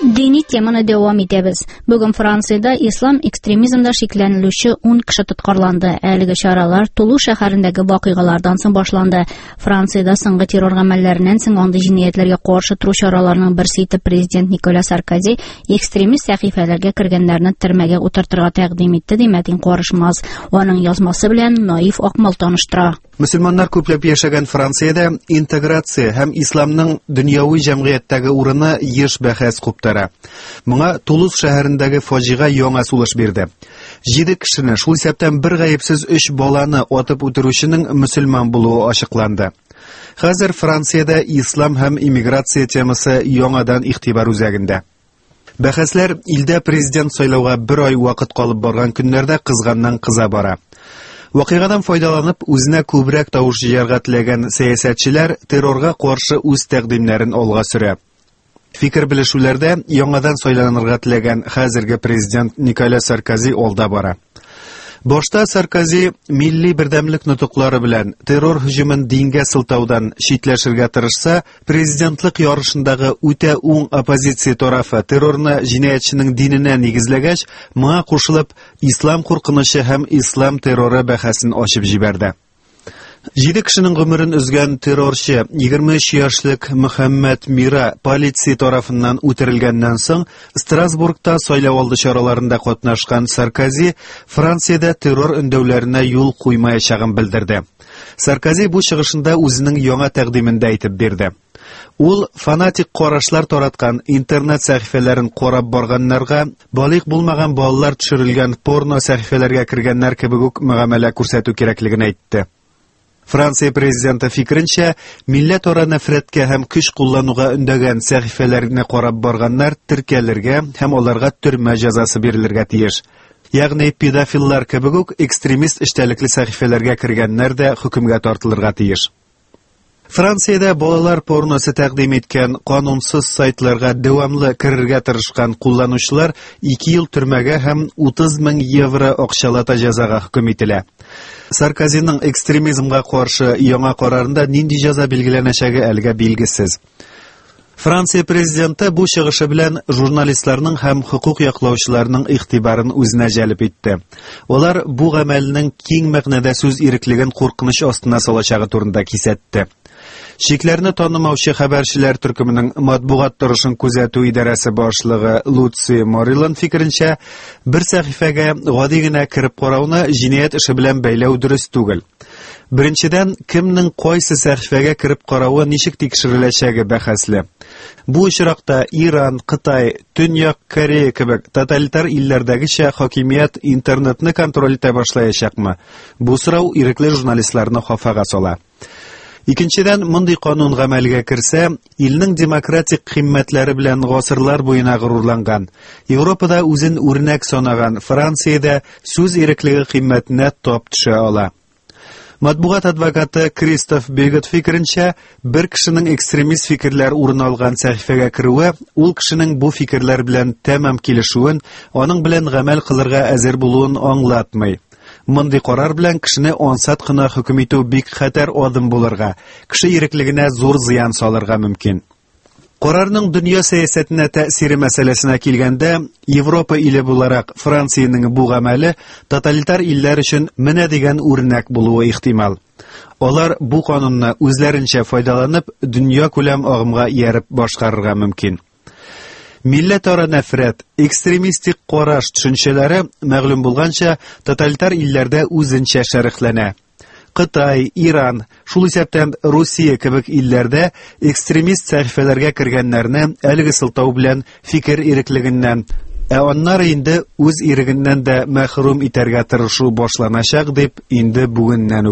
Дини теманы дәвам итәбез. Бүген Франциядә ислам экстремизмда шикләнелүче 10 кеше тоткарланды. Әлеге чаралар Тулу шәһәрендәге вакыйгалардан соң башланды. Франциядә соңгы террор гамәлләреннән соң андый җинаятьләргә каршы тору чараларының берсе итеп президент Николя Саркози экстремист сәхифәләргә кергәннәрне төрмәгә утыртырга тәкъдим итте, ди Мәтин Карышмаз. Аның язмасы белән Наиф Акмал таныштыра. Мөселманнар күпләп яшәгән Франциядә интеграция һәм исламның дөньяви җәмгыятьтәге урыны еш бәхәс куптара. Моңа Тулуз шәһәрендәге фаҗига яңа сулыш бирде. Җиде кешене, шул исәптән бер гаепсез өч баланы атып үтерүченең мөселман булуы ачыкланды. Хәзер Франциядә ислам һәм иммиграция темасы яңадан игътибар үзәгендә. Бәхәсләр илдә президент сайлауга бер ай вакыт калып барган көннәрдә кызганнан кыза бара. Вакыйгадан файдаланып, үзенә күбрәк тавыш җыярга теләгән сәясәтчеләр террорга каршы үз тәкъдимнәрен алга сөрә. Фикер белешүләрдә яңадан сайланырга теләгән хәзерге президент Николя Саркози алда бара. Башта Саркози милли бердәмлек нотыклары белән террор һөҗүмен дингә сылтаудан читләшергә тырышса, Президентлык ярышындагы үтә уң оппозиция тарафы террорны җинаятьченең диненә нигезләгәч, моңа кушылып, ислам куркынычы һәм ислам терроры бәхәсен ачып җибәрде. Җиде кешенең гомерен өзгән террорчы 23 яшьлек Мөхәммәд Мира полиция тарафыннан үтерелгәннән соң Страсбургта сайлау алды чараларында катнашкан Саркози Франциядә террор өндәүләренә юл куймаячагын белдерде. Саркози бу чыгышында үзенең яңа тәкъдимен дә әйтеп бирде. Ул фанатик карашлар тараткан интернет сәхифәләрен карап барганнарга, балигъ булмаган балалар төшерелгән порно сәхифәләргә кергәннәр кебек үк мөгамәлә күрсәтү кирәклеген әйтте. Франция президенты фикеренчә, милләтара нәфрәткә һәм көч куллануга өндәгән сәхифәләрне карап барганнар теркәлергә һәм аларга төрмә җәзасы бирелергә тиеш. Ягъни педофиллар кебек үк экстремист эчтәлекле сәхифәләргә кергәннәр дә хөкемгә тартылырга тиеш. Франциядә балалар порносы тәкъдим иткән канунсыз сайтларга дәвамлы керергә тырышкан кулланучылар 2 ел төрмәгә һәм 30 мең евро акчалата җәзага хөкем ителә. Саркозиның экстремизмга каршы яңа карарында нинди җәза билгеләнәчәге әлегә билгесез. Франция президенты бу чыгышы белән журналистларның һәм хокук яклаучыларның игътибарын үзенә җәлеп итте. Алар бу гамәлнең киң мәгънәдә сүз иреклеген куркыныч астына салачагы турында кисәтте. Чикләрне танымаучы хәбәрчеләр төркеменең матбугат торышын күзәтү идарәсе башлыгы Луци Морилан фикеренчә, бер сәхифәгә гади генә кереп карауны җинаять эше белән бәйләү дөрес түгел. Беренчедән, кемнең кайсы сәхифәгә кереп каравы ничек тикшереләчәге бәхәсле. Бу очракта Иран, Кытай, Төньяк Корея кебек тоталитар илләрдәгечә хакимият интернетны контроль итә башлаячакмы? Бу сорау ирекле журналистларны хафага сала. Икенчедән, мондый канун гамәлгә керсә, илнең демократик кыйммәтләре белән гасырлар буена горурланган, Европада үзен үрнәк санаган Франциядә сүз иреклеге кыйммәтенә тап төшә ала. Матбугат адвокаты Кристоф Бегет фикеренчә, бер кешенең экстремист фикерләр урын алган сәхифәгә керүе ул кешенең бу фикерләр белән тәмам килешүен, аның белән гамәл кылырга әзер булуын аңлатмый. Мондый карар белән кешене ансат кына хөкем итү бик хәтәр адым булырга, кеше иреклегенә зур зыян салырга мөмкин. Карарның дөнья сәясәтенә тәэсире мәсьәләсенә килгәндә, Европа иле буларак Франциянең бу гамәле тоталитар илләр өчен менә дигән үрнәк булуы ихтимал. Алар бу канунны үзләренчә файдаланып, дөнья күләм агымга ияреп башкарырга мөмкин. Милләтара нәфрәт, экстремистик караш төшенчәләре, мәгълүм булганча, тоталитар илләрдә үзенчә шәрехләнә. Кытай, Иран, шул исәптән Русия кебек илләрдә экстремист сәхифәләргә кергәннәрне әлеге сылтау белән фикер иреклегеннән, ә аннары инде үз ирегеннән дә мәхрүм итәргә тырышу башланачак дип инде бүгеннән үк